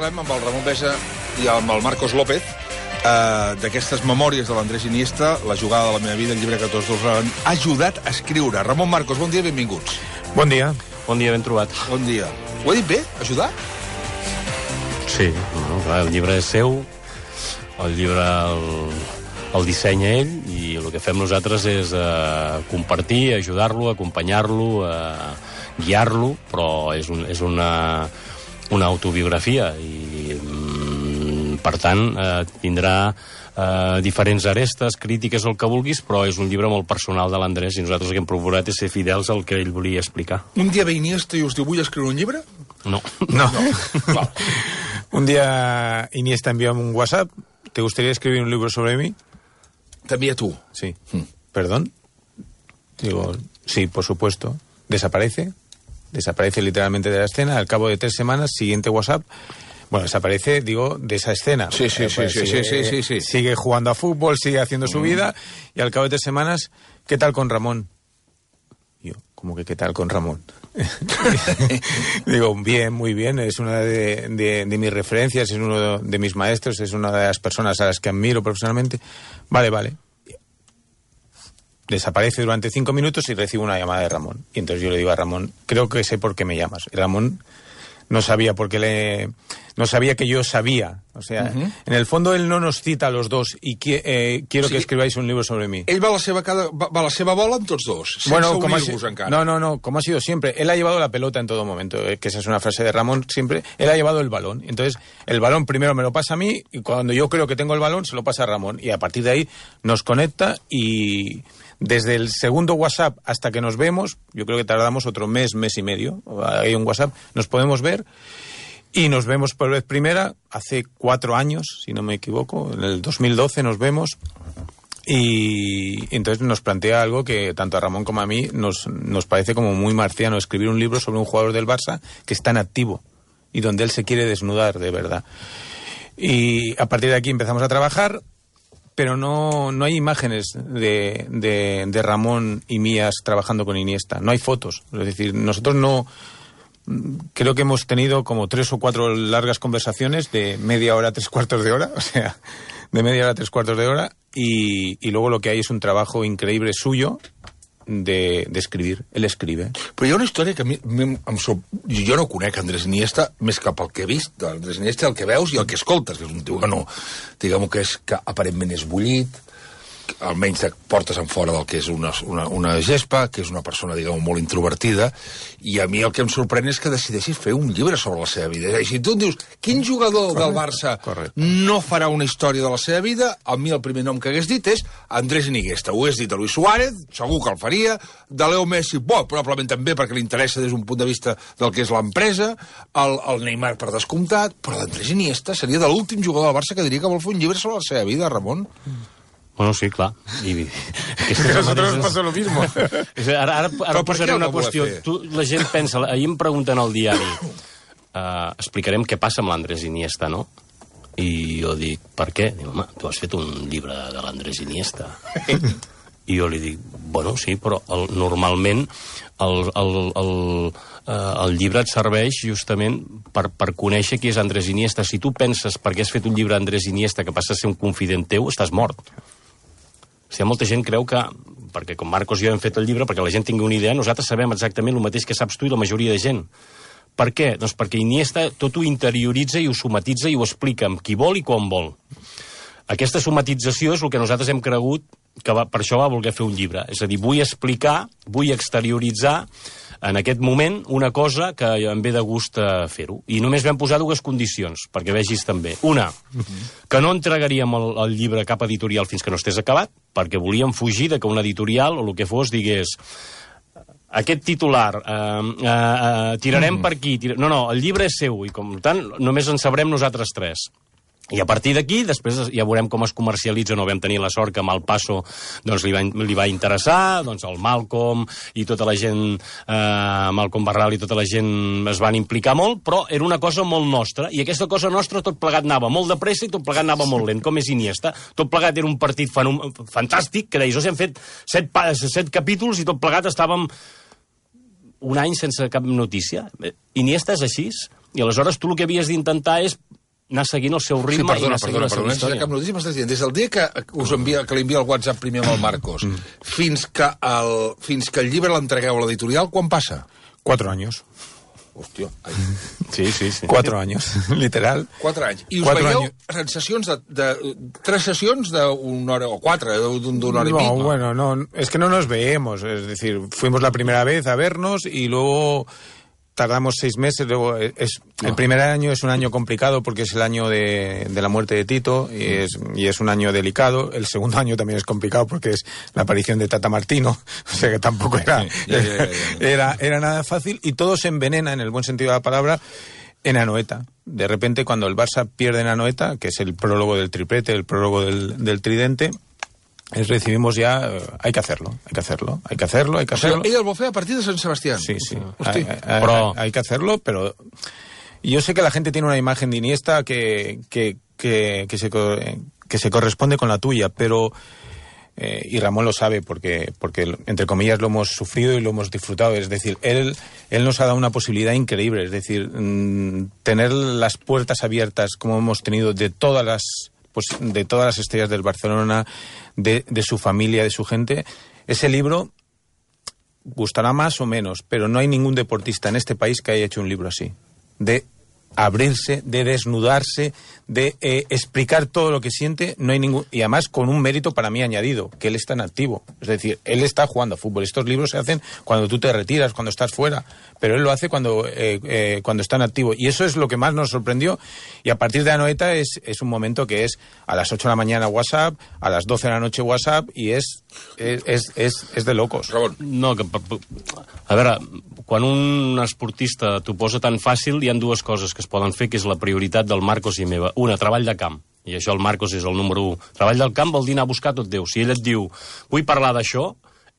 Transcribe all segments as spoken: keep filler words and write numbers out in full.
parlem amb el Ramon Besa i amb el Marcos López uh, d'aquestes memòries de l'Andrés Iniesta, la jugada de la meva vida, el llibre que tots dos han ajudat a escriure. Ramon, Marcos, bon dia, benvinguts. Bon dia. Bon dia, ben trobat. Bon dia. Ho he dit bé, ajudar? Sí, no, clar, el llibre és seu, el llibre el, el dissenya ell, i el que fem nosaltres és uh, compartir, ajudar-lo, acompanyar-lo, uh, guiar-lo, però és, un, és una, una autobiografia i, mm, per tant, uh, tindrà uh, diferents arestes, crítiques, el que vulguis, però és un llibre molt personal de l'Andrés i nosaltres el que hem procurat és ser fidels al que ell volia explicar. Un dia ve Iniesta i us diu, vull escriure un llibre? No. No. no. Un día Iniesta envió un WhatsApp. ¿Te gustaría escribir un libro sobre mí? También tú. Sí. Hmm. ¿Perdón? Digo, sí, por supuesto. Desaparece. Desaparece literalmente de la escena. Al cabo de tres semanas, siguiente WhatsApp. Bueno, desaparece, digo, de esa escena. Sí, sí, eh, sí, pues sí, sigue, sí, sí, sí, sí. Sigue jugando a fútbol, sigue haciendo su Mm. vida. Y al cabo de tres semanas, ¿qué tal con Ramón? Yo, ¿cómo que qué tal con Ramón? Digo, bien, muy bien, es una de, de, de mis referencias, es uno de, de mis maestros, es una de las personas a las que admiro profesionalmente. Vale, vale. Desaparece durante cinco minutos y recibo una llamada de Ramón. Y entonces yo le digo a Ramón, creo que sé por qué me llamas. Y Ramón no sabía por qué le... No sabía que yo sabía. O sea, uh-huh. En el fondo él no nos cita a los dos y qui eh, quiero sí. que escribáis un libro sobre mí. Ell va a la seva, cada, va a la seva bola amb tots dos, sense bueno, como unir-vos encara. No, no, no, como ha sido siempre. Él ha llevado la pelota en todo momento, eh, que esa es una frase de Ramón siempre. Él ha llevado el balón. Entonces, el balón primero me lo pasa a mí y cuando yo creo que tengo el balón se lo pasa a Ramón. Y a partir de ahí nos conecta y... Desde el segundo WhatsApp hasta que nos vemos, yo creo que tardamos otro mes, mes y medio. Hay un WhatsApp, nos podemos ver y nos vemos por vez primera hace cuatro años, si no me equivoco, en el dos mil doce nos vemos y entonces nos plantea algo que tanto a Ramón como a mí nos, nos parece como muy marciano, escribir un libro sobre un jugador del Barça que está en activo y donde él se quiere desnudar de verdad. Y a partir de aquí empezamos a trabajar. Pero no, no hay imágenes de, de, de Ramón y mías trabajando con Iniesta. No hay fotos. Es decir, nosotros no... Creo que hemos tenido como tres o cuatro largas conversaciones de media hora, tres cuartos de hora. O sea, de media hora a tres cuartos de hora. Y, y luego lo que hay es un trabajo increíble suyo de, de escribir. Él escribe. Però hi ha una història que a mi, em, em so... jo no conec Andrés Iniesta més que pel que he vist d'Andrés Iniesta, el que veus i el que escoltes, que és un tio que no, diguem-ho que és que aparentment és bullit, almenys et portes en fora del que és una, una, una gespa, que és una persona, diguem-ho, molt introvertida, i a mi el que em sorprèn és que decideixis fer un llibre sobre la seva vida. I si tu em dius, quin jugador correcte, del Barça correcte. no farà una història de la seva vida, a mi el primer nom que hagués dit és Andrés Iniesta. Ho hagués dit a Luis Suárez, segur que el faria, de Leo Messi, bo, probablement també perquè li interessa des d'un punt de vista del que és l'empresa, el, el Neymar per descomptat, però l'Andrés Iniesta seria de l'últim jugador del Barça que diria que vol fer un llibre sobre la seva vida, Ramon. Bueno, sí, clar. I, que a nosotros nos pasa lo mismo. Ara, ara, ara posaré una qüestió. Tu, la gent pensa, ahir em pregunten al diari, uh, explicarem què passa amb l'Andrés Iniesta, no? I jo dic, per què? Diu, home, tu has fet un llibre de l'Andrés Iniesta. I jo li dic, bueno, sí, però el, normalment el, el, el, uh, el llibre et serveix justament per, per conèixer qui és Andrés Iniesta. Si tu penses perquè has fet un llibre d'Andrés Iniesta que passa a ser un confident teu, estàs mort. O sigui, molta gent creu que, perquè com Marcos i jo hem fet el llibre, perquè la gent tingui una idea, nosaltres sabem exactament el mateix que saps tu i la majoria de gent. Per què? Doncs perquè Iniesta tot ho interioritza i ho somatitza i ho explica amb qui vol i quan vol. Aquesta somatització és el que nosaltres hem cregut que va, per això va voler fer un llibre. És a dir, vull explicar, vull exterioritzar en aquest moment una cosa que em ve de gust fer-ho. I només vam posar dues condicions, perquè vegis també. Una, que no entregaríem el, el llibre a cap editorial fins que no estés acabat, perquè volíem fugir de que una editorial o el que fos digués aquest titular, eh, eh, eh, tirarem mm. per aquí. Tir... No, no, el llibre és seu i, com tant, només en sabrem nosaltres tres. I a partir d'aquí, després ja veurem com es comercialitza. No vam tenir la sort que amb el Passo doncs, li, va, li va interessar, doncs el Malcolm i tota la gent, eh, Malcolm Barral i tota la gent es van implicar molt, però era una cosa molt nostra, i aquesta cosa nostra tot plegat anava molt de pressa i tot plegat anava molt lent, com és Iniesta. Tot plegat era un partit fantàstic, que deies, hem fet set, set capítols i tot plegat estàvem un any sense cap notícia. Iniesta és així. I aleshores tu el que havies d'intentar és anar seguint el seu ritme. Sí, perdona, i anar seguint perdona, la seva perdona, història. cap notícia m'estàs dient. Des del dia que us envia, que li envia el WhatsApp primer amb el Marcos, mm. fins, que el, fins que el llibre l'entregueu a l'editorial, quan passa? Cuatro años. Hòstia. Ai. Sí, sí, sí. Cuatro años, literal. Quatre anys. I us Cuatro veieu años. en sessions de, de... Tres sessions d'una hora, o quatre, d'una hora y no, pico. No, bueno, no, es que no nos veemos. Es decir, fuimos la primera vez a vernos y luego tardamos seis meses. Luego es, no. El primer año es un año complicado porque es el año de, de la muerte de Tito y es, y es un año delicado. El segundo año también es complicado porque es la aparición de Tata Martino. O sea que tampoco era, ya, ya, ya, ya. era, era nada fácil y todo se envenena, en el buen sentido de la palabra, en Anoeta. De repente, cuando el Barça pierde en Anoeta, que es el prólogo del triplete, el prólogo del, del tridente, es, recibimos ya, eh, hay que hacerlo, hay que hacerlo, hay que hacerlo, hay que hacerlo. O sigui, ell el vol fer a partir de Sant Sebastián. Sí, sí. Hosti. Hay, hay, Però... hay que hacerlo, pero yo sé que la gente tiene una imagen de Iniesta que, que, que, que, se, que se corresponde con la tuya, pero... Eh, y Ramón lo sabe porque, porque, entre comillas, lo hemos sufrido y lo hemos disfrutado. Es decir, él, él nos ha dado una posibilidad increíble. Es decir, mmm, tener las puertas abiertas como hemos tenido de todas las, pues, de todas las estrellas del Barcelona, de, de su familia, de su gente. Ese libro gustará más o menos, pero no hay ningún deportista en este país que haya hecho un libro así. De abrirse, de desnudarse, de eh, explicar todo lo que siente, no hay ningún... Y además con un mérito para mí añadido, que él está en activo. Es decir, él está jugando a fútbol. Estos libros se hacen cuando tú te retiras, cuando estás fuera, pero él lo hace cuando, eh, eh, cuando está en activo. Y eso es lo que más nos sorprendió. Y a partir de Anoeta es, es un momento que es a las ocho de la mañana WhatsApp, a las doce de la noche WhatsApp, y es, es, es, es, es de locos. Ramon. No, que, a veure, quan un esportista t'ho posa tan fàcil, hi ha dues coses que es poden fer, que és la prioritat del Marcos i meva. Una, treball de camp. I això el Marcos és el número un. Treball del camp vol dir anar a buscar tot Déu. Si ell et diu, vull parlar d'això,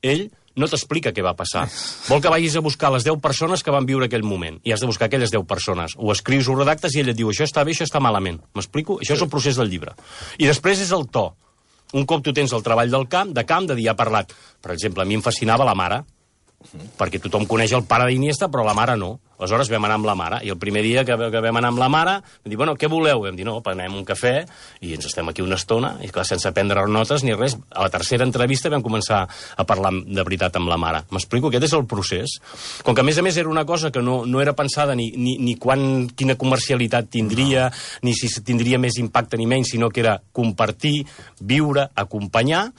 ell no t'explica què va passar. Vol que vagis a buscar les deu persones que van viure aquell moment. I has de buscar aquelles deu persones. Ho escrius, ho redactes i ell et diu, això està bé, això està malament. M'explico? Això és el procés del llibre. I després és el to. Un cop tu tens el treball del camp, de camp, de dir, ha parlat. Per exemple, a mi em fascinava la mare, perquè tothom coneix el pare d'Iniesta, però la mare no. Aleshores vam anar amb la mare, i el primer dia que, que vam anar amb la mare, vam dir, bueno, què voleu? Vam dir, no, prenem un cafè, i ens estem aquí una estona, i clar, sense prendre notes ni res. A la tercera entrevista vam començar a parlar de veritat amb la mare. M'explico? Aquest és el procés. Com que, a més a més, era una cosa que no, no era pensada ni, ni, ni quan, quina comercialitat tindria, no. ni si tindria més impacte ni menys, sinó que era compartir, viure, acompanyar.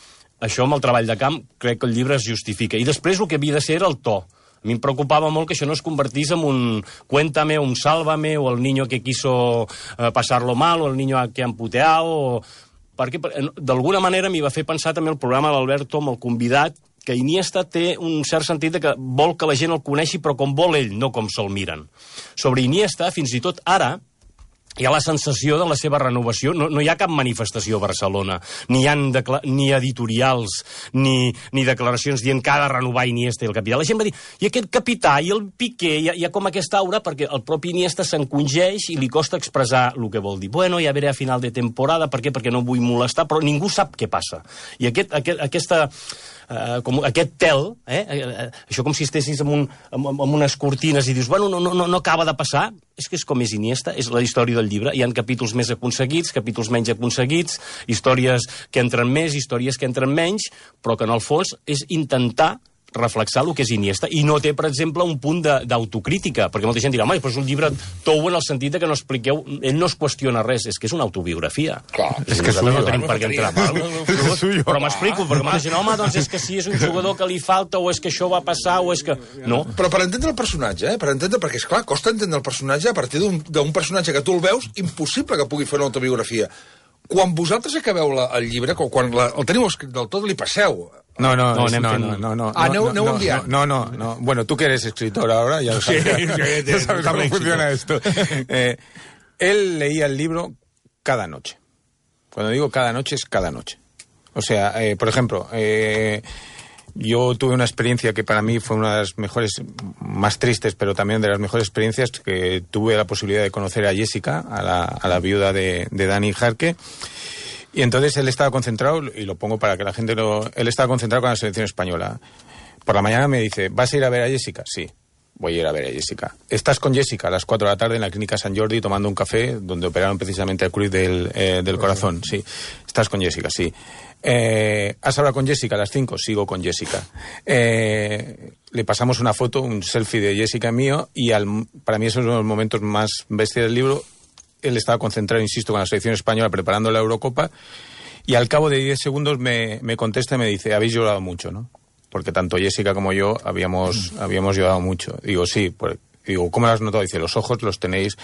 Això amb el treball de camp crec que el llibre es justifica. I després el que havia de ser era el to. A mi em preocupava molt que això no es convertís en un cuéntame, un sálvame, o el niño que quiso eh, pasarlo mal, o el niño que ha emputeado, o... perquè d'alguna manera m'hi va fer pensar també el programa de l'Alberto amb el convidat, que Iniesta té un cert sentit de que vol que la gent el coneixi, però com vol ell, no com se'l miren. Sobre Iniesta, fins i tot ara, hi ha la sensació de la seva renovació. No, no hi ha cap manifestació a Barcelona, ni hi ha ni editorials, ni, ni declaracions dient que ha de renovar Iniesta i el capità. La gent va dir, i aquest capità, i el Piqué, hi ha, hi ha com aquesta aura, perquè el propi Iniesta s'encongeix i li costa expressar el que vol dir. Bueno, ja veré a final de temporada, per què? Perquè no vull molestar, però ningú sap què passa. I aquest, aquest, aquesta... Uh, com aquest tel, eh? Uh, això com si estessis amb, un, amb, amb unes cortines i dius, bueno, no, no, no acaba de passar, és que és com és Iniesta, és la història del llibre. Hi ha capítols més aconseguits, capítols menys aconseguits, històries que entren més, històries que entren menys, però que en el fons és intentar reflexar el que és Iniesta, i no té, per exemple, un punt d'autocrítica, perquè molta gent dirà, home, però és un llibre tou en el sentit de que no expliqueu, ell no es qüestiona res, és que és una autobiografia. Clar, és que suyo, no tenim per què entrar. Però m'explico, perquè molta gent, home, doncs és que si és un jugador que li falta, o és que això va passar, o és que... No. Però per entendre el personatge, eh? Per entendre, perquè, esclar, costa entendre el personatge a partir d'un personatge que tu el veus, impossible que pugui fer una autobiografia. Quan vosaltres acabeu la, el llibre, quan la, el teniu escrit del tot, li passeu... No, no, no, no, no, no, no, no. Ah, no, no, no, no, no, no, no. Bueno, tú que eres escritor ahora, ya sabes, sí, ya sabes cómo funciona esto. Eh, él leía el libro cada noche. Cuando digo cada noche, es cada noche. O sea, eh, por ejemplo, eh, yo tuve una experiencia que para mí fue una de las mejores, más tristes, pero también de las mejores experiencias, que tuve la posibilidad de conocer a Jessica, a la, a la viuda de, de Dani Jarque. Y entonces él estaba concentrado, y lo pongo para que la gente lo... Él estaba concentrado con la selección española. Por la mañana me dice, ¿vas a ir a ver a Jessica? Sí. voy a ir a ver a Jessica. Estás con Jessica a las cuatro de la tarde en la clínica San Jordi tomando un café donde operaron precisamente el cruz del, eh, del corazón. Sí, estás con Jessica, sí. Eh, ¿Has hablado con Jessica a las cinco? Sigo con Jessica. Eh, le pasamos una foto, un selfie de Jessica mío, y al, para mí esos son los momentos más bestias del libro. Él estaba concentrado, insisto, con la selección española preparando la Eurocopa, y al cabo de diez segundos me, me contesta y me dice: habéis llorado mucho, ¿no? Porque tanto Jessica como yo habíamos, habíamos llorado mucho. Digo, sí. Pues, digo, ¿cómo lo has notado? Dice, los ojos los tenéis.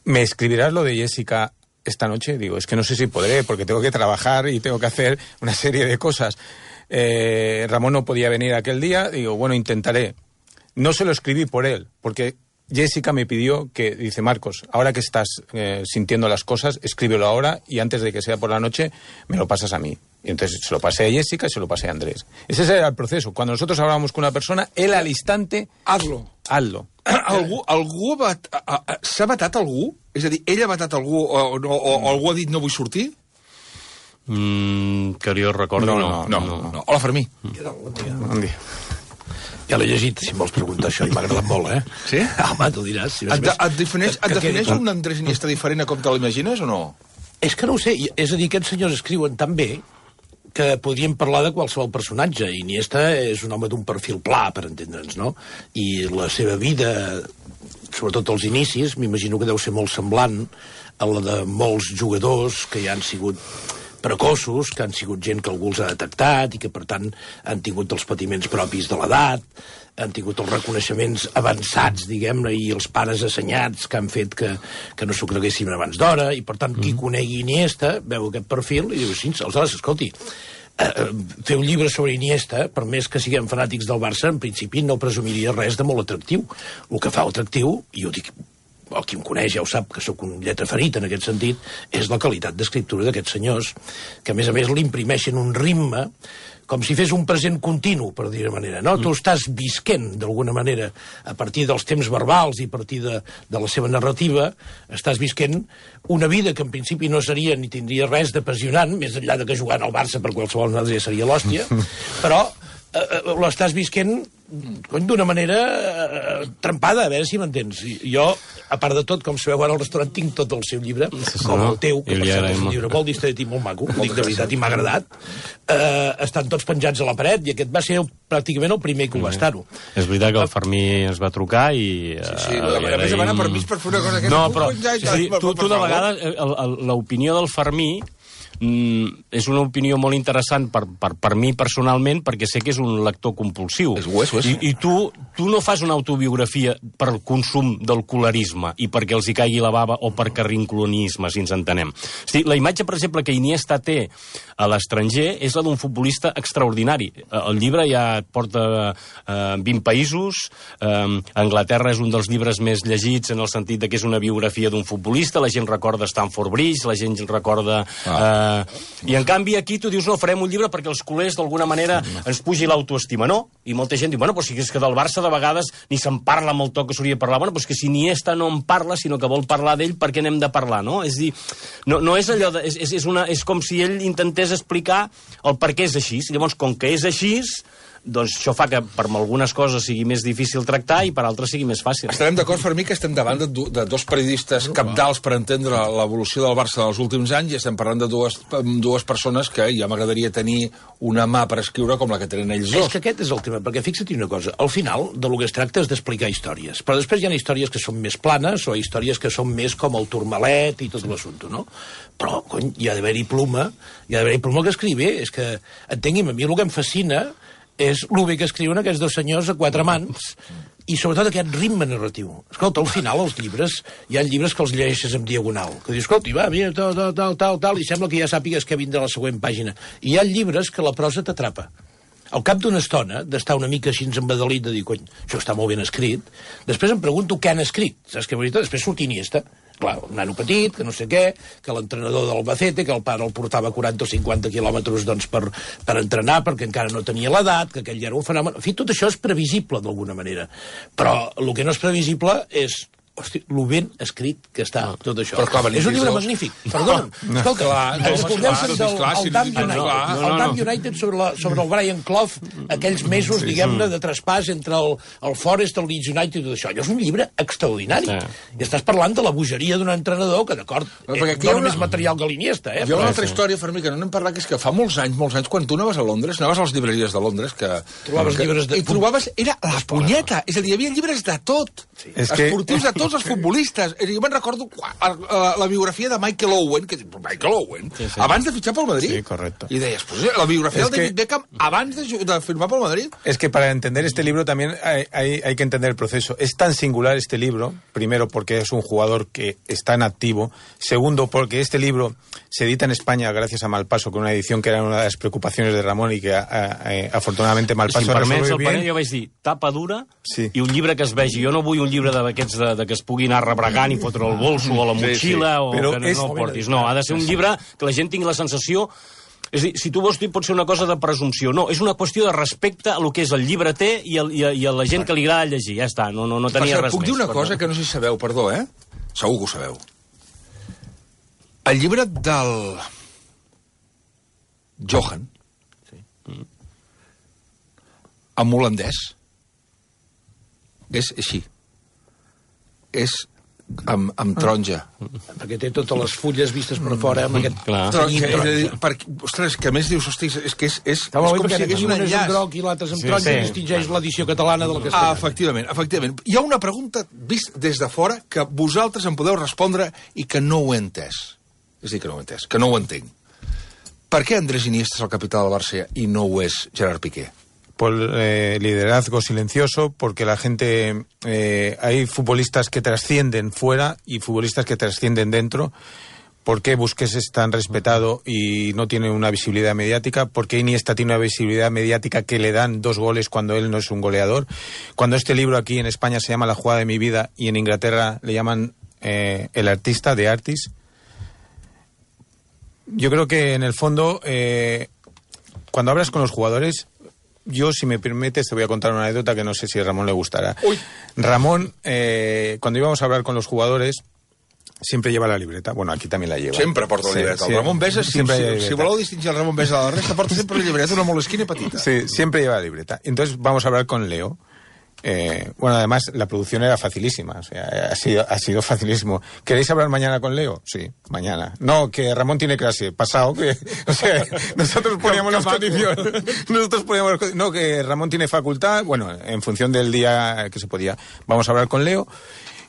¿Me escribirás lo de Jessica esta noche? Digo, es que no sé si podré, porque tengo que trabajar y tengo que hacer una serie de cosas. Eh, Ramón no podía venir aquel día. Digo, bueno, intentaré. No se lo escribí por él, porque Jessica me pidió que, dice, Marcos, ahora que estás eh, sintiendo las cosas, escríbelo ahora y antes de que sea por la noche, me lo pasas a mí. Y entonces se lo pasé a Jessica y se lo pasé a Andrés. Ese era el proceso. Cuando nosotros hablábamos con una persona, él al instante... Hazlo. Hazlo. Algú, algú ha vat... S'ha vetat algú? És a dir, ell ha vetat algú o, o, o, o algú ha dit no vull sortir? Mm, que jo recordo, no. No, no, no. no. no. Hola, Fermí. Bon dia. Bon dia. Ja l'he llegit, si em vols preguntar això, i m'ha agradat molt, eh? Sí? Home, tu diràs. Si et, de, et defineix, que, et que defineix quedi... un Andrés Iniesta diferent a com te l'imagines o no? És que no ho sé, és a dir, aquests senyors escriuen tan bé que podríem parlar de qualsevol personatge. Iniesta és un home d'un perfil pla, per entendre'ns, no? I la seva vida, sobretot als inicis, m'imagino que deu ser molt semblant a la de molts jugadors que ja han sigut precoços, que han sigut gent que algú els ha detectat i que, per tant, han tingut els patiments propis de l'edat, han tingut els reconeixements avançats, diguem-ne, i els pares assenyats que han fet que, que no s'ho creguessin abans d'hora, i, per tant, qui conegui Iniesta veu aquest perfil i diu, sí, aleshores, escolti, eh, fer un llibre sobre Iniesta, per més que siguem fanàtics del Barça, en principi no presumiria res de molt atractiu. El que fa atractiu, i ho dic, el qui em coneix ja ho sap, que sóc un lletra ferit en aquest sentit, és la qualitat d'escriptura d'aquests senyors, que a més a més l'imprimeixen un ritme com si fes un present continu, per dir-ho manera. No? Mm. Tu estàs visquent, d'alguna manera, a partir dels temps verbals i a partir de, de la seva narrativa, estàs visquent una vida que en principi no seria ni tindria res d'apassionant, més enllà de que jugant al Barça per qualsevol cosa ja seria l'hòstia, però eh, eh, l'estàs visquent cony, d'una manera eh, trempada, a veure si m'entens. Jo, a part de tot, com sabeu ara al restaurant, tinc tot el seu llibre, sí, com el teu, que per cert és un llibre molt distret i molt maco, dic de veritat, i m'ha agradat. Eh, estan tots penjats a la paret, i aquest va ser pràcticament el primer que ho va estar-ho. És veritat que el Fermí es va trucar i... Sí, sí, uh, a més a per permís per fer una cosa aquesta. No, però sí, tu, tu de vegades, l'opinió del Fermí Mm, és una opinió molt interessant per, per, per mi personalment, perquè sé que és un lector compulsiu. És ho és, ho és. I, i tu, tu no fas una autobiografia per el consum del colorisme i perquè els hi caigui la bava o per carrinclonisme, si ens entenem. Hosti, la imatge, per exemple, que Iniesta té a l'estranger és la d'un futbolista extraordinari. El llibre ja porta eh, vint països, eh, Anglaterra és un dels llibres més llegits en el sentit de que és una biografia d'un futbolista, la gent recorda Stamford Bridge, la gent recorda... Ah. Eh, I en canvi aquí tu dius no, farem un llibre perquè els culers d'alguna manera ens pugi l'autoestima, no? I molta gent diu, bueno, però si és que del Barça de vegades ni se'n parla amb el to que s'hauria de parlar, bueno, però és que si Iniesta no en parla, sinó que vol parlar d'ell, per què n'hem de parlar, no? És dir, no, no és allò de, és, és, una, és com si ell intentés explicar el per què és així, llavors com que és així, doncs això fa que per algunes coses sigui més difícil tractar i per altres sigui més fàcil. Estarem d'acord, Fermí, que estem davant de, de dos periodistes cabdals per entendre l'evolució del Barça dels últims anys, i estem parlant de dues, dues persones que ja m'agradaria tenir una mà per escriure com la que tenen ells dos. És que aquest és el tema, perquè fixa't una cosa, al final de lo que es tracta és d'explicar històries, però després hi ha històries que són més planes o històries que són més com el Turmalet i tot l'assumpte, no? Però, cony, hi ha d'haver-hi pluma, hi ha d'haver-hi pluma que escriu bé, és que, entengui'm, a mi el que em fascina és el bé que escriuen aquests dos senyors a quatre mans i sobretot aquest ritme narratiu. Escolta, al final els llibres, hi ha llibres que els llegeixes en diagonal, que dius, escolta, va, mira, tal, tal, tal, tal, tal, i sembla que ja sàpigues què vindrà a la següent pàgina. I hi ha llibres que la prosa t'atrapa. Al cap d'una estona, d'estar una mica així embadalit, de dir, cony, això està molt ben escrit, després em pregunto què han escrit, saps què veritat? Després surt Iniesta. Clar, un nano petit, que no sé què, que l'entrenador del Albacete, que el pare el portava quaranta o cinquanta quilòmetres doncs, per, per entrenar, perquè encara no tenia l'edat, que aquell era un fenomen... En fi, tot això és previsible, d'alguna manera. Però el que no és previsible és hosti, lo ben escrit que està tot això. Però, clar, és un llibre magnífic. Perdona'm. Escolta, recordeu-se'n del el Dam United, el Dam United sobre, la, sobre el Brian Clough, aquells mesos, diguem-ne, de traspàs entre el, el Forest, el Leeds United i tot això. Allò és un llibre extraordinari. I estàs parlant de la bogeria d'un entrenador que, d'acord, no només material galiniesta. Eh? Hi ha una altra història, Fermí, que no n'hem parlat, que és que fa molts anys, molts anys, quan tu anaves a Londres, anaves a les llibreries de Londres, que... Trobaves llibres de... I trobaves... Era la punyeta. És a dir, hi havia llibres de tot. Sí. Esportius de tots els futbolistes. Jo me'n recordo la, la, la biografia de Michael Owen, que Michael Owen, sí, sí. abans de fitxar pel Madrid. Sí, correcto. Y deies, pues, la biografía es de David que... Beckham abans de, de firmar pel Madrid. Es que para entender este libro también hay, hay, hay que entender el proceso. Es tan singular este libro, primero porque es un jugador que está en activo, segundo porque este libro se edita en España gracias a Malpaso, con una edición que era una de las preocupaciones de Ramón y que a, a, a, afortunadamente Malpaso si resolve bien. bien. Panell, jo vaig dir, tapa dura sí. i un llibre que es vegi. Jo no vull un llibre d'aquests de, de que es pugui anar rebregant i fotre el bolso o la motxilla sí, sí. o Però que no, és... no el portis. No, ha de ser un llibre que la gent tingui la sensació... És a dir, si tu vols dir, pot ser una cosa de presumpció. No, és una qüestió de respecte a lo que és el llibreter i, el, i, a, i a la gent que li agrada llegir. Ja està, no, no, no tenia Passa, res puc més. Puc dir una cosa que no sé si sabeu, perdó, eh? Segur que ho sabeu. El llibre del... Johan, sí. mm. en holandès, és així. És amb, amb taronja. Perquè té totes les fulles vistes per fora amb aquest... Clar. Taronja. És a dir, perquè, ostres, que a més dius, hosti, és que és, és, és com si hagués un enllaç. Un groc i l'altre amb taronja, sí. distingeix l'edició catalana de la castellana. Ah, efectivament, efectivament. Hi ha una pregunta vist des de fora que vosaltres em podeu respondre i que no ho he entès. És a dir, que no ho he entès, que no ho entenc. Per què Andrés Iniesta és el capità del Barça i no ho és Gerard Piqué? Por eh, liderazgo silencioso, porque la gente... Eh, hay futbolistas que trascienden fuera y futbolistas que trascienden dentro. ¿Por qué Busquets es tan respetado y no tiene una visibilidad mediática? ¿Por qué Iniesta tiene una visibilidad mediática que le dan dos goles cuando él no es un goleador? Cuando este libro aquí en España se llama La jugada de mi vida y en Inglaterra le llaman eh, El artista, The Artist. Yo creo que en el fondo, eh, cuando hablas con los jugadores... Yo, si me permites, te voy a contar una anécdota que no sé si a Ramón le gustará. Uy. Ramón, eh, cuando íbamos a hablar con los jugadores, siempre lleva la libreta. Bueno, aquí también la lleva. Sempre porta la libreta. Sí, el Ramon Besa, si, si, si voleu distingir el Ramon Besa de la resta, porta sempre la libreta, una molesquina petita. Sí, siempre lleva la libreta. Entonces vamos a hablar con Leo. Eh, bueno, además la producción era facilísima, o sea, ha sido, ha sido facilísimo. ¿Queréis hablar mañana con Leo? Sí, mañana. No, que Ramón tiene clase, pasado, que, o sea, nosotros poníamos las condiciones. Nosotros poníamos las, no, que Ramón tiene facultad, bueno, en función del día que se podía. Vamos a hablar con Leo.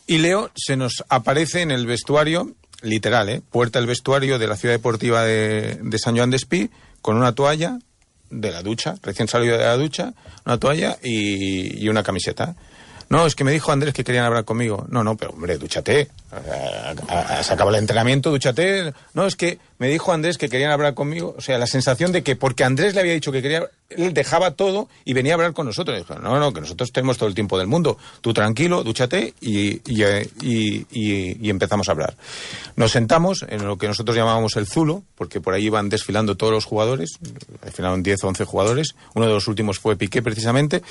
Y Leo se nos aparece en el vestuario, literal, ¿eh? Puerta del vestuario de la Ciudad Deportiva de, de San Joan d'Espí, con una toalla de la ducha, recién salido de la ducha, una toalla y, y una camiseta. No, es que me dijo Andrés que querían hablar conmigo. No, no, pero hombre, dúchate. Se acaba el entrenamiento, dúchate. No, es que me dijo Andrés que querían hablar conmigo. O sea, la sensación de que porque Andrés le había dicho que quería, él dejaba todo y venía a hablar con nosotros. Y dijo, no, no, que nosotros tenemos todo el tiempo del mundo. Tú tranquilo, dúchate y, y, y, y, y empezamos a hablar. Nos sentamos en lo que nosotros llamábamos el Zulo, porque por ahí iban desfilando todos los jugadores. Desfilaron diez o once jugadores. Uno de los últimos fue Piqué, precisamente.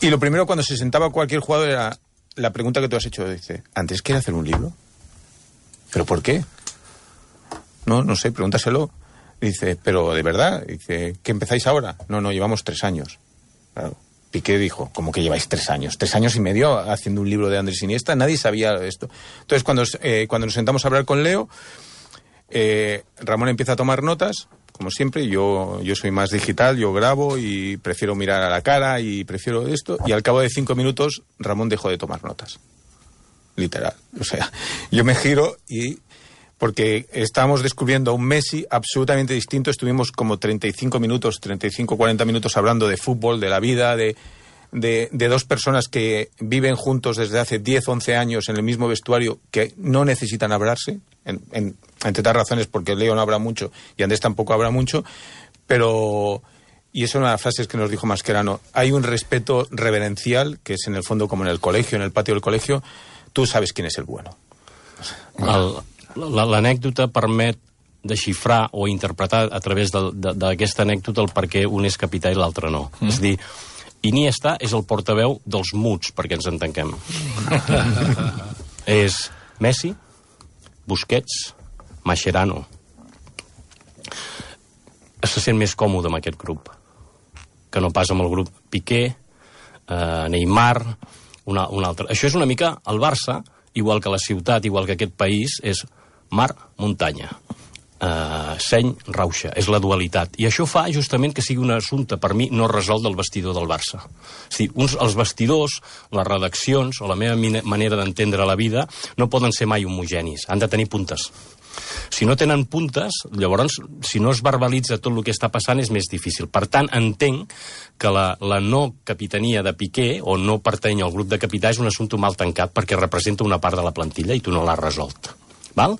Y lo primero cuando se sentaba cualquier jugador era la pregunta que tú has hecho. Dice, ¿Andrés quiere hacer un libro? ¿Pero por qué? No, no sé, pregúntaselo. Dice, pero de verdad, dice, ¿que empezáis ahora? No, no, llevamos tres años. Claro. Piqué dijo, ¿cómo que lleváis tres años? Tres años y medio haciendo un libro de Andrés Iniesta, nadie sabía esto. Entonces cuando, eh, cuando nos sentamos a hablar con Leo, eh, Ramón empieza a tomar notas. Como siempre, yo, yo soy más digital, yo grabo y prefiero mirar a la cara y prefiero esto. Y al cabo de cinco minutos, Ramón dejó de tomar notas. Literal. O sea, yo me giro y... Porque estábamos descubriendo a un Messi absolutamente distinto. Estuvimos como treinta y cinco minutos, treinta y cinco, cuarenta minutos hablando de fútbol, de la vida, de... De, de dos personas que viven juntos desde hace diez, once años en el mismo vestuario, que no necesitan hablarse, en, en, entre otras razones porque Leo no habla mucho y Andrés tampoco habla mucho, pero, y eso es una de las frases que nos dijo Mascherano, hay un respeto reverencial, que es en el fondo como en el colegio, en el patio del colegio, tú sabes quién es el bueno. L'anècdota permet desxifrar o interpretar a través d'aquesta anècdota el per què un és capità i l'altre no. Mm. És a dir, Iniesta és el portaveu dels muts, perquè ens entenguem. És Messi, Busquets, Mascherano. Se sent més còmode amb aquest grup que no pas amb el grup Piqué, eh, Neymar, una, una altra. Això és una mica el Barça, igual que la ciutat, igual que aquest país, és mar, muntanya. Uh, seny, rauxa, és la dualitat, i això fa justament que sigui un assumpte per mi no resolt del vestidor del Barça. És dir, uns, els vestidors, les redaccions o la meva manera d'entendre la vida no poden ser mai homogenis, han de tenir puntes. Si no tenen puntes, llavors, si no es verbalitza tot el que està passant, és més difícil. Per tant, entenc que la, la no capitania de Piqué, o no pertany al grup de capità, és un assumpte mal tancat perquè representa una part de la plantilla i tu no l'has resolt. Val?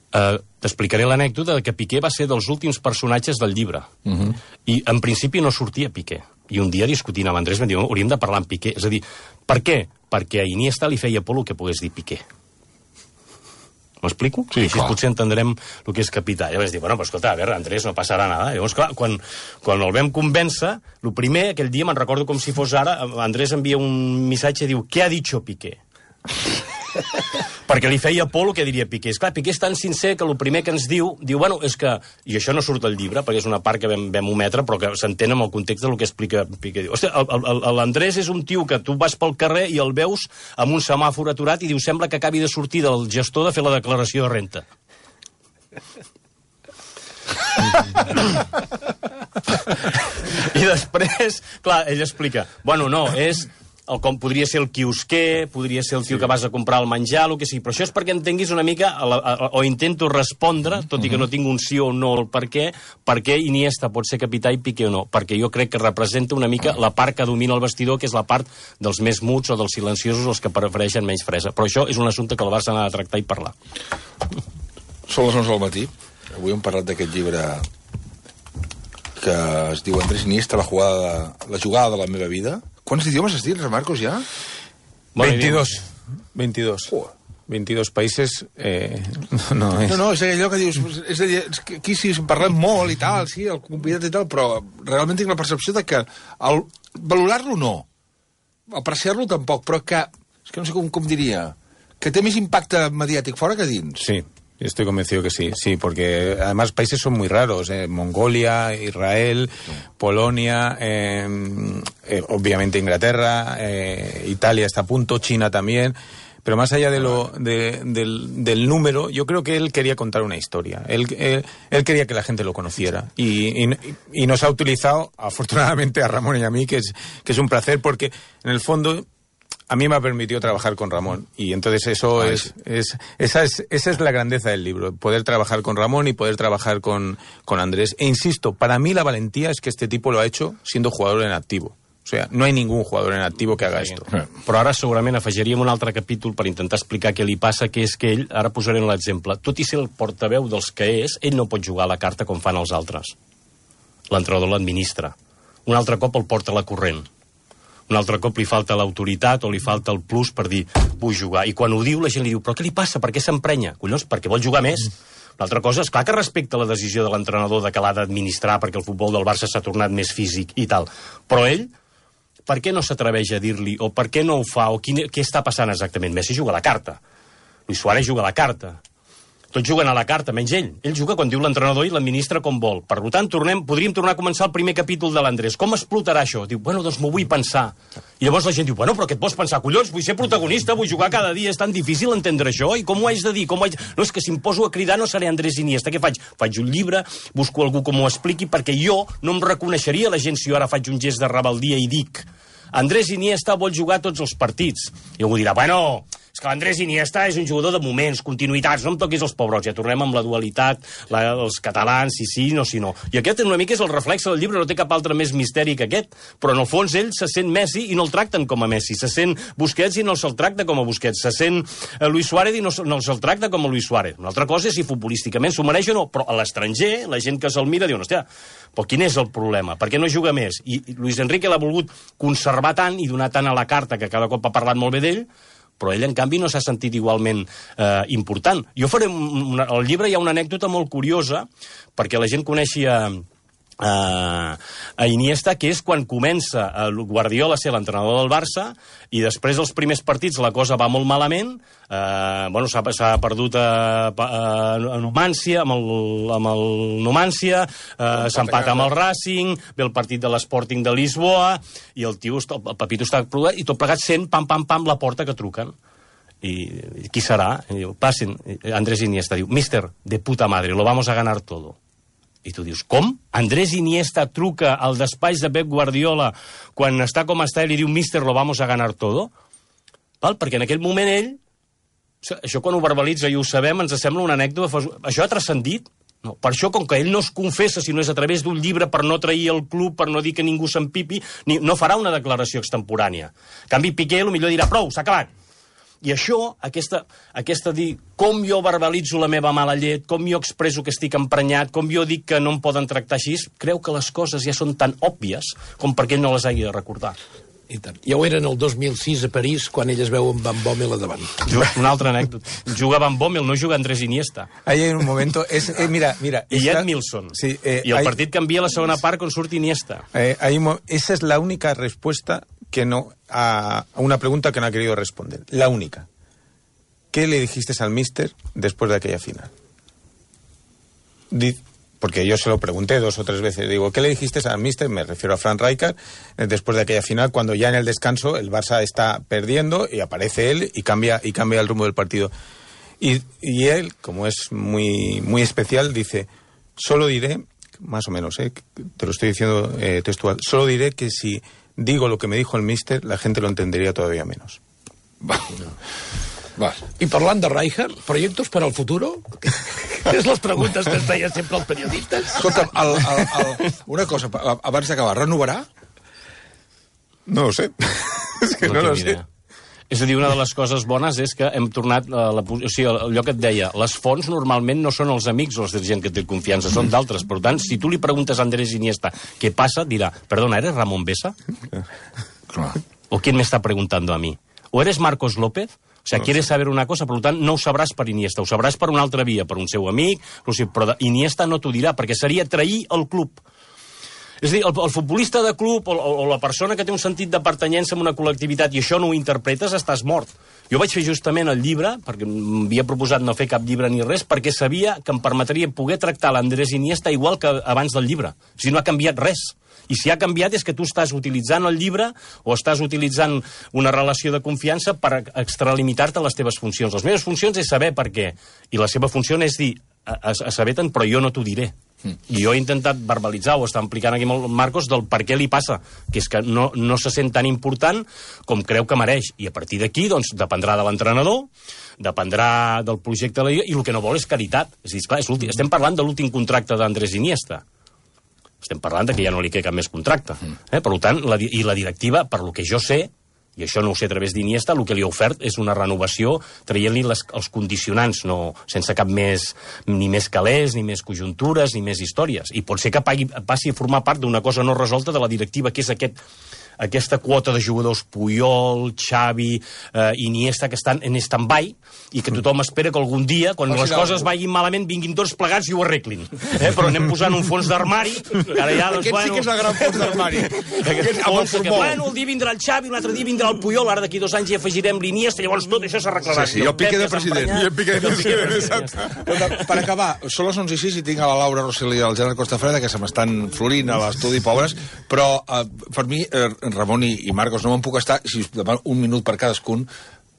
Uh, t'explicaré l'anècdota de que Piqué va ser dels últims personatges del llibre. Uh-huh. I en principi no sortia Piqué. I un dia discutint amb Andrés vam dir, hauríem de parlar amb Piqué. És a dir, per què? Perquè a Iniesta li feia por el que pogués dir Piqué. M'explico? Sí, així clar. Potser entendrem el que és capità. Llavors dic, bueno, però escolta, a veure, Andrés, no passarà nada. Llavors, clar, quan, quan el vam convèncer, el primer, aquell dia, me'n recordo com si fos ara, Andrés envia un missatge i diu, què ha dicho Piqué? Perquè li feia por el que diria Piqué. Esclar, Piqué és tan sincer que el primer que ens diu, diu, bueno, és que, i això no surt al llibre, perquè és una part que vam, vam ometre, però que s'entén amb el context del que explica Piqué. Diu, hòstia, l'Andrés és un tio que tu vas pel carrer i el veus amb un semàfor aturat i diu, sembla que acabi de sortir del gestor de fer la declaració de renta. I després, clar, ell explica, bueno, no, és... El, com podria ser el quiosquer, podria ser el tio sí. que vas a comprar el menjar, el que sigui. Però això és perquè entenguis una mica, a la, a, o intento respondre, tot i que no tinc un sí o no el per què, per què Iniesta pot ser capità i Piqué o no. Perquè jo crec que representa una mica la part que domina el vestidor, que és la part dels més muts o dels silenciosos, els que prefereixen menys fresa. Però això és un assumpte que el Barça n'ha de tractar i parlar. Són les onze del matí. Avui hem parlat d'aquest llibre que es diu Andrés Iniesta, la jugada, la jugada de la meva vida. Quants idiomes has dit, Marcos, ja? veintidós. veintidós. Oh. veintidós països... Eh, no, és... no, no, és allò que dius... És allò, és que aquí sí parlem molt i tal, sí, el convidat i tal, però realment tinc la percepció de que el, valorar-lo no, apreciar-lo tampoc, però que, és que no sé com, com diria, que té més impacte mediàtic fora que dins. Sí. Estoy convencido que sí, sí, porque además países son muy raros, eh, Mongolia, Israel, sí. Polonia, eh, eh, obviamente Inglaterra, eh, Italia está a punto, China también, pero más allá de lo, de, del, del número, yo creo que él quería contar una historia, él, él, él quería que la gente lo conociera y, y, y nos ha utilizado, afortunadamente, a Ramón y a mí, que es, que es un placer, porque en el fondo... A mí me ha permitido trabajar con Ramón y entonces eso Ay, es, es, esa es esa es la grandeza del libro, poder trabajar con Ramón y poder trabajar con, con Andrés. E insisto, para mí la valentía es que este tipo lo ha hecho siendo jugador en activo. O sea, no hay ningún jugador en activo que haga esto. Però ara segurament afegiríem un altre capítol per intentar explicar què li passa, que és que ell, ara posaré l'exemple, tot i ser el portaveu dels que és, ell no pot jugar a la carta com fan els altres. L'entrenador l'administra. Un altre cop el porta a la corrent. Un altre cop li falta l'autoritat o li falta el plus per dir, vull jugar. I quan ho diu, la gent li diu, però què li passa? Per què s'emprenya? Collons, perquè vol jugar més. L'altra cosa és clar que respecta la decisió de l'entrenador de que l'ha d'administrar perquè el futbol del Barça s'ha tornat més físic i tal. Però ell, per què no s'atreveix a dir-li, o per què no ho fa, o quin, què està passant exactament? Messi juga a la carta. Luis Suárez juga a la carta. Tots juguen a la carta, menys ell. Ell juga quan diu l'entrenador i l'administra com vol. Per tant, tornem, podríem tornar a començar el primer capítol de l'Andrés. Com explotarà això? Diu, bueno, doncs m'ho vull pensar. I llavors la gent diu, bueno, però què et vols pensar? Collons, vull ser protagonista, vull jugar cada dia, és tan difícil entendre això, i com ho haig de dir? Com ho haig... No, és que si em poso a cridar no seré Andrés Iniesta. Què faig? Faig un llibre, busco algú que m'ho expliqui, perquè jo no em reconeixeria la gent si jo ara faig un gest de rebeldia i dic Andrés Iniesta vol jugar tots els partits. I algú dirà, bueno... És que l'Andrés Iniesta és un jugador de moments, continuïtats, no em toquis els pobrots, ja tornem amb la dualitat, la, els catalans, si sí, no, si no. I aquest una mica és el reflex del llibre, no té cap altre més misteri que aquest, però en el fons ell se sent Messi i no el tracten com a Messi, se sent Busquets i no se'l tracta com a Busquets, se sent Luis Suárez i no, no se'l tracta com a Luis Suárez. Una altra cosa és si futbolísticament s'ho mereix o no, però a l'estranger, la gent que se'l mira diu, hòstia, però quin és el problema? Per què no juga més? I Luis Enrique l'ha volgut conservar tant i donar tant a la carta, que cada cop ha parlat molt bé d'ell, però ell, en canvi, no s'ha sentit igualment eh, important. Jo faré una, al llibre hi ha una anècdota molt curiosa, perquè la gent coneixi a, Uh, a Iniesta, que és quan comença el Guardiola a ser l'entrenador del Barça i després dels primers partits la cosa va molt malament, uh, bueno, s'ha perdut a, a, a Numància, amb el, amb el Numància, uh, s'empata amb el Racing, ve el partit de l'Sporting de Lisboa i el tio, el Pepito està produït i tot plegat sent pam pam pam la porta que truquen i, i qui serà? I diu, passen, Andrés Iniesta diu, mister, de puta madre, lo vamos a ganar todo. I tu dius, com? Andrés Iniesta truca al despatx de Pep Guardiola quan està com està ell i diu, mister, lo vamos a ganar todo? Val? Perquè en aquell moment ell, això quan ho verbalitza i ho sabem, ens sembla una anècdota, això ha transcendit? No. Per això, com que ell no es confessa, si no és a través d'un llibre per no trair el club, per no dir que ningú s'empipi, no farà una declaració extemporània. En canvi, Piqué potser dirà, prou, s'ha acabat. I això, aquesta, aquesta dir com jo verbalitzo la meva mala llet, com jo expresso que estic emprenyat, com jo dic que no em poden tractar així, creu que les coses ja són tan òbvies com perquè ell no les hagi de recordar. I tant. Ja ho era en el dos mil sis a París, quan ell es veu amb Van Bommel a davant. Una altra anècdota. Juga Van Bommel, no juga Andrés Iniesta. Ahí en un momento... Es, eh, mira, mira... I esta... Edmilson. Sí, eh, I el hay... partit canvia la segona part quan surt Iniesta. Eh, hay... Esa es la única respuesta que no... A, a una pregunta que no ha querido responder. La única. ¿Qué le dijiste al míster después de aquella final? Di, porque yo se lo pregunté dos o tres veces. Digo, ¿qué le dijiste al míster? Me refiero a Frank Rijkaard, después de aquella final, cuando ya en el descanso el Barça está perdiendo y aparece él y cambia, y cambia el rumbo del partido. Y, y él, como es muy, muy especial, dice, solo diré, más o menos, ¿eh? Te lo estoy diciendo eh, textual, solo diré que si digo lo que me dijo el míster, la gente lo entendería todavía menos. Va. Va. I parlant de Rijkaard, projectos per al futuro? És les preguntes que es feia sempre als periodistes. Escolta'm, el, el, el, una cosa, abans d'acabar, renovarà? No ho sé. És que no, no lo sé. És a dir, una de les coses bones és que hem tornat a la, o sigui, allò que et deia, les fonts normalment no són els amics o els de gent que té confiança, són d'altres. Per tant, si tu li preguntes a Andrés Iniesta què passa, dirà, perdona, ¿eres Ramón Besa? Clar. ¿O quién me está preguntando a mí? ¿O eres Marcos López? O sea, quieres saber una cosa, per tant, no ho sabràs per Iniesta, ho sabràs per una altra via, per un seu amic, però Iniesta no t'ho dirà, perquè seria trair el club. És a dir, el, el futbolista de club o, o la persona que té un sentit de pertanyença a una col·lectivitat i això no ho interpretes, estàs mort. Jo vaig fer justament el llibre, perquè m'havia proposat no fer cap llibre ni res, perquè sabia que em permetria poder tractar l'Andrés Iniesta igual que abans del llibre. O sigui, no ha canviat res. I si ha canviat és que tu estàs utilitzant el llibre o estàs utilitzant una relació de confiança per extralimitar-te les teves funcions. Les meves funcions és saber per què. I la seva funció és dir, a, a, a saber tant, però jo no t'ho diré. Mm. I jo he intentat verbalitzar, o està implicant aquí amb el Marcos, del per què li passa, que és que no, no se sent tan important com creu que mereix. I a partir d'aquí, doncs, dependrà de l'entrenador, dependrà del projecte de la Lliga, i el que no vol és caritat. És a dir, esclar, és estem parlant de l'últim contracte d'Andrés Iniesta. Estem parlant de que ja no li queda cap més contracte. Eh? Per tant, la, i la directiva, per lo que jo sé, i això no ho sé a través d'Iniesta, el que li ha ofert és una renovació traient-li els condicionants, no, sense cap més, ni més calés, ni més conjuntures, ni més històries. I pot ser que pagui, passi a formar part d'una cosa no resolta de la directiva, que és aquest, aquesta quota de jugadors Puyol, Xavi, eh, Iniesta, que estan en stand-by, i que tothom espera que algun dia, quan les coses vagin malament, vinguin tots plegats i ho arreglin. Eh? Però anem posant un fons d'armari, que ara ja, doncs, aquest bueno... sí que és el gran fons d'armari. Aquest fons que, bueno, el dia vindrà el Xavi, un altre dia vindrà el Puyol, ara d'aquí dos anys hi afegirem l'Iniesta, llavors tot això s'arreglarà. Sí, sí, i el Piqué de president. I el Piqué de president, exacte. Per acabar, són les onze i sis i tinc a la Laura Rosselló i el Gerard Costafreda, que se m'estan florint a l'estudi, pobres, però eh, per mi, eh, Ramon i, i Marcos, no me'n puc estar, si us demano un minut per cadascun,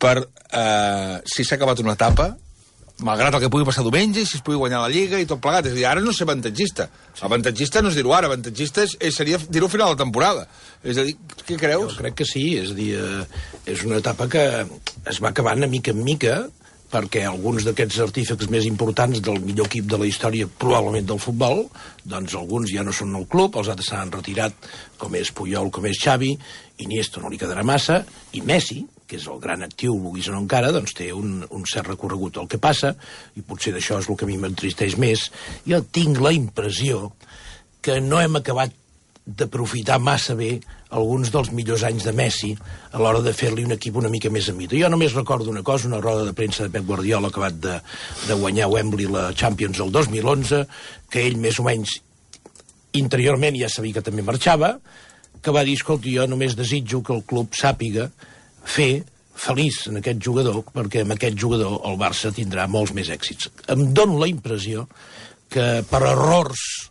per eh, si s'ha acabat una etapa, malgrat el que pugui passar diumenge, i si es pugui guanyar la Lliga i tot plegat. És a dir, ara no és ser avantatgista. Sí. Avantatgista no és dir-ho ara, avantatgista és, és, seria dir-ho al final de la temporada. És a dir, què creus? Jo crec que sí, és a dir, eh, és una etapa que es va acabant a mica en mica, perquè alguns d'aquests artífecs més importants del millor equip de la història, probablement del futbol, doncs alguns ja no són al club, els altres s'han retirat, com és Puyol, com és Xavi, Iniesta no li quedarà massa, i Messi, que és el gran actiu, vulguis o no encara, doncs té un, un cert recorregut. El que passa, i potser d'això és el que a mi m'entristeix més, jo tinc la impressió que no hem acabat d'aprofitar massa bé alguns dels millors anys de Messi a l'hora de fer-li un equip una mica més a mida. Jo només recordo una cosa, una roda de premsa de Pep Guardiola acabat de, de guanyar Wembley la Champions el dos mil onze, que ell més o menys interiorment ja sabia que també marxava, que va dir, escolta, jo només desitjo que el club sàpiga fer feliç en aquest jugador, perquè amb aquest jugador el Barça tindrà molts més èxits. Em dono la impressió que per errors,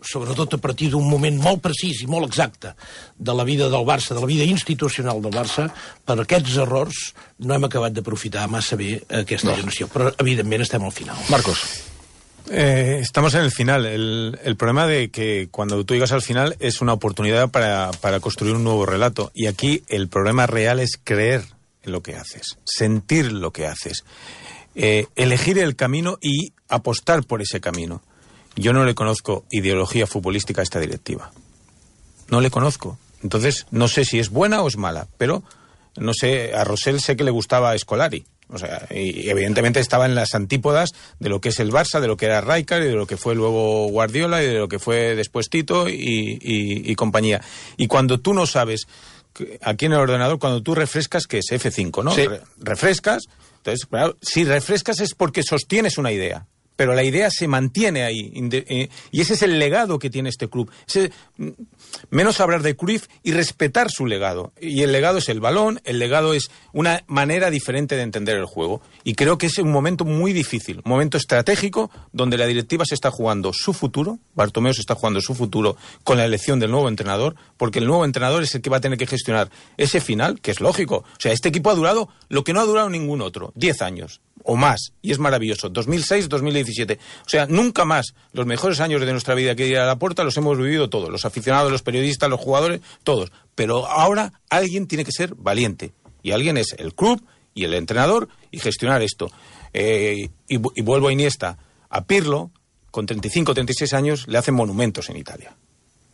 sobretot a partir d'un moment molt precís i molt exacte de la vida del Barça, de la vida institucional del Barça, per aquests errors no hem acabat d'aprofitar massa bé aquesta no. generació. Però, evidentment, estem al final. Marcos. Eh, estamos en el final. El, el problema de que cuando tú llegas al final es una oportunidad para, para construir un nuevo relato. Y aquí el problema real es creer en lo que haces, sentir lo que haces, eh, elegir el camino y apostar por ese camino. Yo no le conozco ideología futbolística a esta directiva. No le conozco. Entonces, no sé si es buena o es mala, pero no sé, a Rosell sé que le gustaba Scolari. O sea, y evidentemente estaba en las antípodas de lo que es el Barça, de lo que era Rijkaard y de lo que fue luego Guardiola y de lo que fue después Tito y, y, y compañía. Y cuando tú no sabes, aquí en el ordenador, cuando tú refrescas, que es F cinco, ¿no? Sí. Re refrescas, entonces, claro, si refrescas es porque sostienes una idea. Pero la idea se mantiene ahí. Y ese es el legado que tiene este club. Ese, menos hablar de Cruyff y respetar su legado. Y el legado es el balón, el legado es una manera diferente de entender el juego. Y creo que es un momento muy difícil, un momento estratégico donde la directiva se está jugando su futuro, Bartomeu se está jugando su futuro con la elección del nuevo entrenador, porque el nuevo entrenador es el que va a tener que gestionar ese final, que es lógico. O sea, este equipo ha durado lo que no ha durado ningún otro, diez años. O más, y es maravilloso, dos mil seis dos mil diecisiete. O sea, nunca más los mejores años de nuestra vida que ir a la puerta los hemos vivido todos, los aficionados, los periodistas, los jugadores, todos. Pero ahora alguien tiene que ser valiente, y alguien es el club y el entrenador, y gestionar esto. Eh, y, y vuelvo a Iniesta, a Pirlo, con treinta y cinco, treinta y seis años, le hacen monumentos en Italia.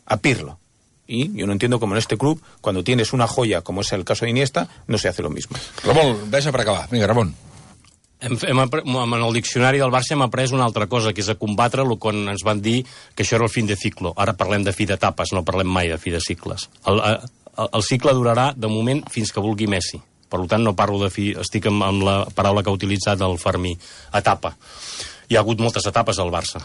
A Pirlo. Y yo no entiendo cómo en este club, cuando tienes una joya, como es el caso de Iniesta, no se hace lo mismo. Ramon, ves per acabar. Vinga, Ramon. Hem, hem, en el diccionari del Barça hem après una altra cosa, que és a combatre-lo quan ens van dir que això era el fin de ciclo. Ara parlem de fi d'etapes, no parlem mai de fi de cicles. El, el, el cicle durarà, de moment, fins que vulgui Messi. Per tant, no parlo de fi... Estic amb, amb la paraula que ha utilitzat el Fermí. Etapa. Hi ha hagut moltes etapes al Barça.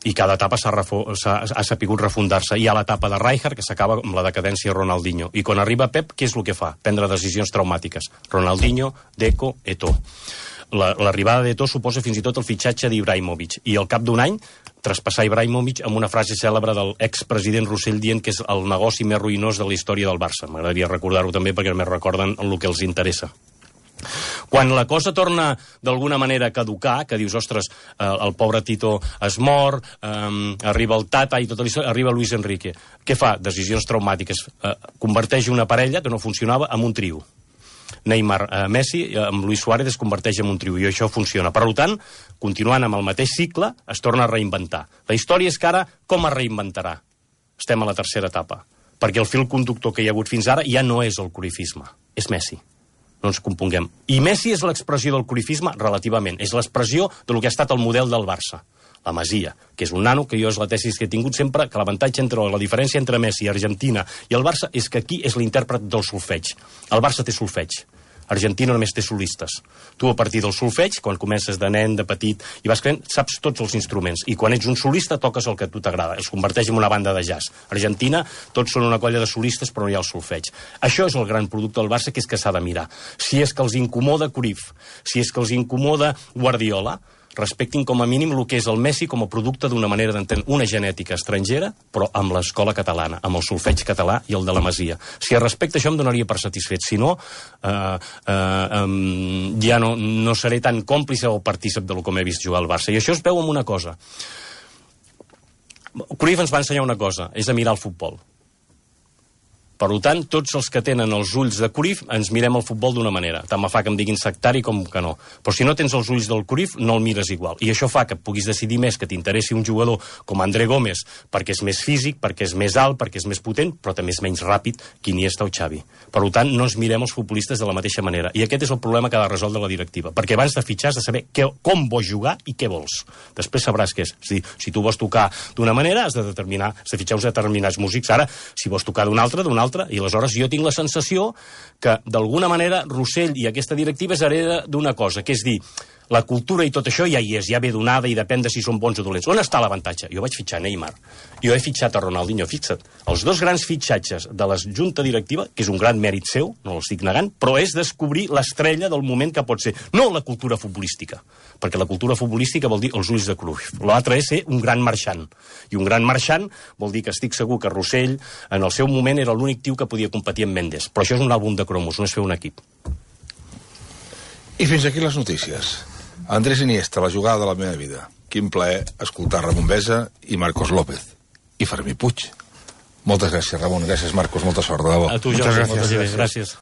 I cada etapa s'ha, ha sapigut refundar-se. Hi ha l'etapa de Rijkaard, que s'acaba amb la decadència de Ronaldinho. I quan arriba Pep, què és el que fa? Prendre decisions traumàtiques. Ronaldinho, Deco, Eto'o. L'arribada d'Eto'o suposa fins i tot el fitxatge d'Ibrahimovic. I al cap d'un any, traspassar Ibrahimovic amb una frase cèlebre del expresident Rossell dient que és el negoci més ruïnós de la història del Barça. M'agradaria recordar-ho també perquè només recorden el que els interessa. Quan la cosa torna d'alguna manera a caducar, que dius, ostres, eh, el pobre Tito es mor, eh, arriba el Tata i tota l'història, arriba Luis Enrique. Què fa? Decisions traumàtiques. Eh, converteix una parella que no funcionava en un trio. Neymar, eh, Messi, eh, amb Luis Suárez es converteix en un trio, i això funciona. Per tant, continuant amb el mateix cicle, es torna a reinventar. La història és que ara, com es reinventarà? Estem a la tercera etapa. Perquè el fil conductor que hi ha hagut fins ara ja no és el cruyffisme, és Messi. No ens componguem. I Messi és l'expressió del cruyffisme relativament. És l'expressió del que ha estat el model del Barça. La Masia, que és un nano, que jo és la tesis que he tingut sempre, que l'avantatge entre la diferència entre Messi, Argentina i el Barça és que aquí és l'intèrpret del solfeig. El Barça té solfeig. Argentina només té solistes. Tu, a partir del solfeig, quan comences de nen, de petit, i vas creant, saps tots els instruments. I quan ets un solista, toques el que a tu t'agrada. Es converteix en una banda de jazz. Argentina, tots són una colla de solistes, però no hi ha el solfeig. Això és el gran producte del Barça, que és que s'ha de mirar. Si és que els incomoda Cruyff, si és que els incomoda Guardiola, respectin com a mínim el que és el Messi com a producte d'una manera d'entendre una genètica estrangera, però amb l'escola catalana, amb el solfeig català i el de la Masia. Si es respecta això em donaria per satisfet. Si no, eh, eh, eh, ja no, no seré tan còmplice o partícip del com he vist jugar al Barça. I això es veu amb una cosa. Cruyff ens va ensenyar una cosa, és a mirar el futbol. Per tant, tots els que tenen els ulls de Cruyff ens mirem el futbol d'una manera. Tant me fa que em diguin sectari com que no. Però si no tens els ulls del Cruyff, no el mires igual. I això fa que puguis decidir més que t'interessi un jugador com André Gómez, perquè és més físic, perquè és més alt, perquè és més potent, però també és menys ràpid que Iniesta o Xavi. Per tant, no ens mirem els futbolistes de la mateixa manera. I aquest és el problema que ha de resoldre la directiva. Perquè abans de fitxar has de saber què, com vols jugar i què vols. Després sabràs què és. És dir, si tu vols tocar d'una manera, has de determinar, has de fitxar uns determinats músics. Ara, si vols tocar d'una altra, d'una altra, i aleshores jo tinc la sensació que, d'alguna manera, Rossell i aquesta directiva es hereda d'una cosa, que és dir, La cultura i tot això ja hi és, ja ve donada i depèn de si són bons o dolents. On està l'avantatge? Jo vaig fitxar Neymar, jo he fitxat a Ronaldinho, fixa't. Els dos grans fitxatges de la junta directiva, que és un gran mèrit seu, no l'estic negant, però és descobrir l'estrella del moment que pot ser, no la cultura futbolística, perquè la cultura futbolística vol dir els ulls de Cruyff. L'altre és ser un gran marxant, i un gran marxant vol dir que estic segur que Rossell en el seu moment era l'únic tio que podia competir amb Mendes, però això és un àlbum de cromos, no és fer un equip. I fins aquí les notícies. Andrés Iniesta, la jugada de la meva vida. Quin plaer escoltar Ramon Besa i Marcos López. I Fermí Puig. Moltes gràcies, Ramon. Gràcies, Marcos. Molta sort, de debò. A tu, Jordi. Moltes gràcies. Gràcies.